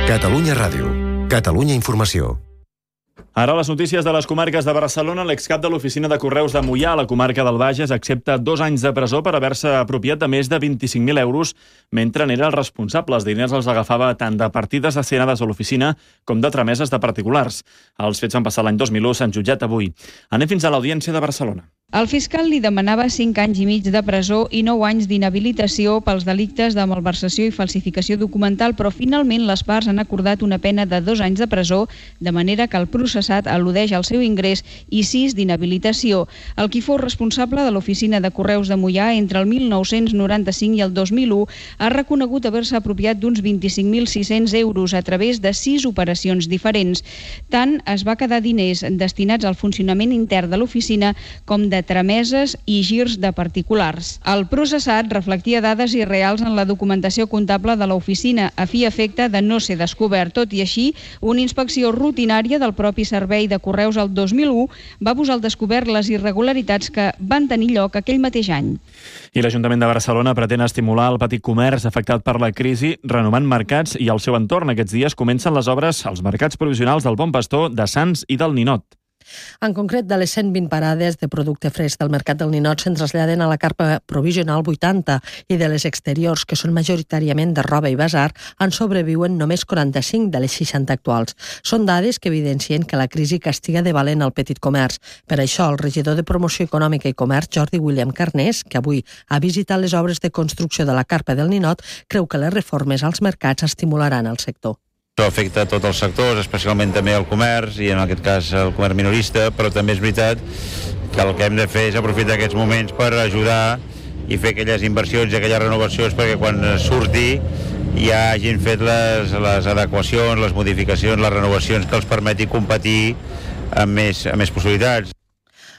Catalunya Ràdio. Catalunya Informació. Ara les notícies de les comarques de Barcelona. L'excap de l'oficina de Correus de Moià, a la comarca del Bages, accepta 2 anys de presó per haver-se apropiat de més de 25.000 euros mentre n'era el responsable. Els diners els agafava tant de partides destinades a l'oficina com de trameses de particulars. Els fets van passar l'any 2001, s'han jutjat avui. Anem fins a l'Audiència de Barcelona. El fiscal li demanava 5 anys i mig de presó i 9 anys d'inhabilitació pels delictes de malversació i falsificació documental, però finalment les parts han acordat una pena de 2 anys de presó, de manera que el processat al·ludeix al seu ingrés i 6 d'inhabilitació. El qui fou responsable de l'oficina de Correus de Moià entre el 1995 i el 2001 ha reconegut haver-se apropiat d'uns 25.600 euros a través de 6 operacions diferents. Tant es va quedar diners destinats al funcionament intern de l'oficina com de trameses i girs de particulars. El processat reflectia dades irreals en la documentació comptable de l'oficina a fi i efecte de no ser descobert. Tot i així, una inspecció rutinària del propi servei de Correus el 2001 va posar al descobert les irregularitats que van tenir lloc aquell mateix any. I l'Ajuntament de Barcelona pretén estimular el petit comerç afectat per la crisi, renovant mercats i el seu entorn. Aquests dies comencen les obres als mercats provisionals del Bon Pastor, de Sants i del Ninot. En concret, de les 120 parades de producte fresc del Mercat del Ninot se'n traslladen a la carpa provisional 80 i de les exteriors, que són majoritàriament de roba i basar, en sobreviuen només 45 de les 60 actuals. Són dades que evidencien que la crisi castiga de valent el petit comerç. Per això, el regidor de Promoció Econòmica i Comerç, Jordi William Carnés, que avui ha visitat les obres de construcció de la carpa del Ninot, creu que les reformes als mercats estimularan el sector. Això afecta a tots els sectors, especialment també el comerç i en aquest cas el comerç minorista, però també és veritat que el que hem de fer és aprofitar aquests moments per ajudar i fer aquelles inversions i aquelles renovacions perquè quan surti ja hagin fet les adequacions, les modificacions, les renovacions que els permeti competir amb més possibilitats.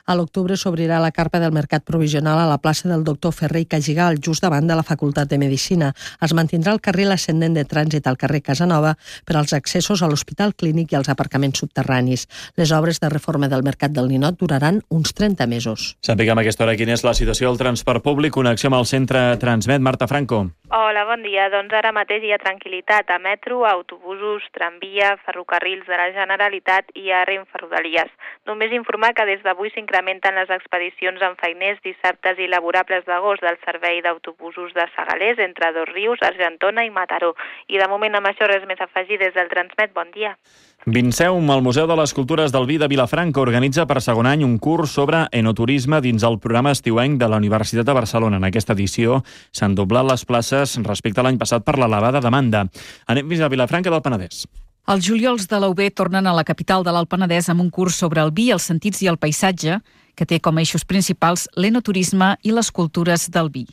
A l'octubre s'obrirà la carpa del Mercat Provisional a la plaça del Doctor Ferrer i Cagigal, just davant de la Facultat de Medicina. Es mantindrà el carril ascendent de trànsit al carrer Casanova per als accessos a l'Hospital Clínic i als aparcaments subterranis. Les obres de reforma del Mercat del Ninot duraran uns 30 mesos. Sapiguem a aquesta hora quina és la situació del transport públic. Connexió amb el centre Transmet. Marta Franco. Hola, bon dia. Doncs ara mateix hi ha tranquil·litat a metro, autobusos, tramvia, ferrocarrils de la Generalitat i a Renfe Rodalies. Només informar que des d'avui s'incrementen les expedicions amb feiners, dissabtes i laborables d'agost del servei d'autobusos de Segalers entre Dosrius, Argentona i Mataró. I de moment amb això res més a afegir des del Transmet. Bon dia. Vinceum, el Museu de les Cultures del Vi de Vilafranca, organitza per segon any un curs sobre enoturisme dins el programa estiuenc de la Universitat de Barcelona. En aquesta edició s'han doblat les places respecte a l'any passat per l'elevada demanda. Anem fins a Vilafranca del Penedès. Els juliols de la UB tornen a la capital de l'Alt Penedès amb un curs sobre el vi, els sentits i el paisatge, que té com a eixos principals l'enoturisme i les cultures del vi.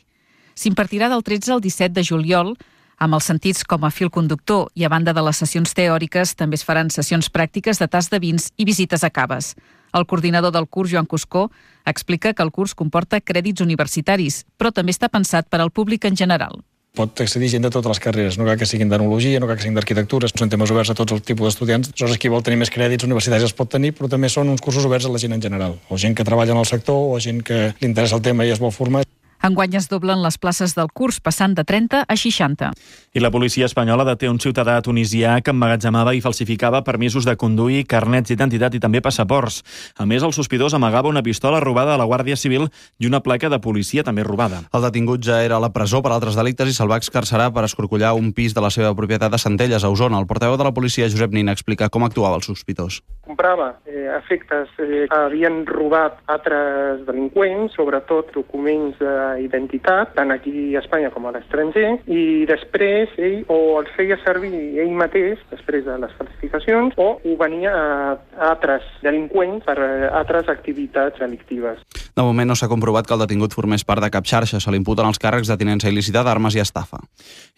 S'impartirà del 13 al 17 de juliol, amb els sentits com a fil conductor, i a banda de les sessions teòriques també es faran sessions pràctiques de tast de vins i visites a caves. El coordinador del curs, Joan Cuscó, explica que el curs comporta crèdits universitaris, però també està pensat per al públic en general. Pot accedir gent de totes les carreres, no cal que siguin d'enologia, no cal que siguin d'arquitectura, són temes oberts a tots els tipus d'estudiants. Aleshores, qui vol tenir més crèdits universitaris els pot tenir, però també són uns cursos oberts a la gent en general, o gent que treballa en el sector, o gent que li interessa el tema i es vol formar. Enguany es doblen les places del curs, passant de 30 a 60. I la policia espanyola deté un ciutadà tunisià que emmagatzemava i falsificava permisos de conduir, carnets d'identitat i també passaports. A més, el sospitós amagava una pistola robada a la Guàrdia Civil i una placa de policia també robada. El detingut ja era a la presó per altres delictes i se'l va excarcerar per escorcollar un pis de la seva propietat a Centelles, a Osona. El portaveu de la policia, Josep Nin, explica com actuava el sospitós. Comprava efectes que havien robat altres delinqüents, sobretot documents d'identitat, tant aquí a Espanya com a l'estranger, i després ell o els feia servir ell mateix, després de les falsificacions, o ho venia a altres delinqüents per altres activitats delictives. De moment no s'ha comprovat que el detingut formés part de cap xarxa. Se li imputen els càrrecs de tinença il·lícita d'armes i estafa.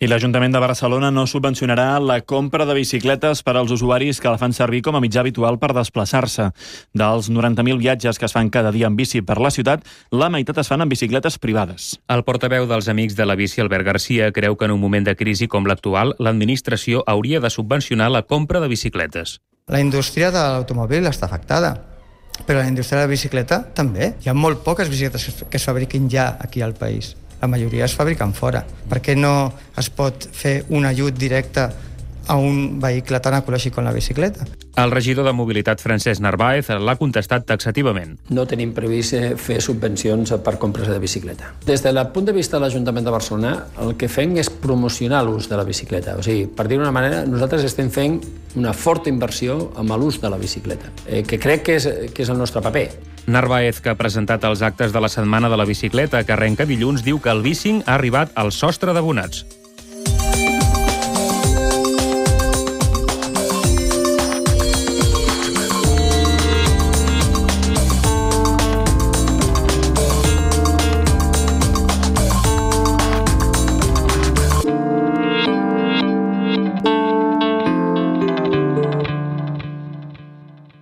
I l'Ajuntament de Barcelona no subvencionarà la compra de bicicletes per als usuaris que la fan servir com a mitjà habitual per desplaçar-se. Dels 90.000 viatges que es fan cada dia en bici per la ciutat, la meitat es fan en bicicletes privades. El portaveu dels Amics de la Bici, Albert Garcia, creu que en un moment de crisi com l'actual, l'administració hauria de subvencionar la compra de bicicletes. La indústria de l'automòbil està afectada, però la indústria de la bicicleta també. Hi ha molt poques bicicletes que es fabriquin ja aquí al país. La majoria es fabriquen fora. Per què no es pot fer un ajut directe a un vehicle tan ecològic com la bicicleta. El regidor de Mobilitat, Francesc Narváez, l'ha contestat taxativament. No tenim previst fer subvencions per compres de bicicleta. Des del punt de vista de l'Ajuntament de Barcelona, el que fem és promocionar l'ús de la bicicleta. O sigui, per dir-ho d'una manera, nosaltres estem fent una forta inversió en l'ús de la bicicleta, que crec que és el nostre paper. Narváez, que ha presentat els actes de la Setmana de la Bicicleta, que arrenca dilluns, diu que el bicing ha arribat al sostre d'abonats.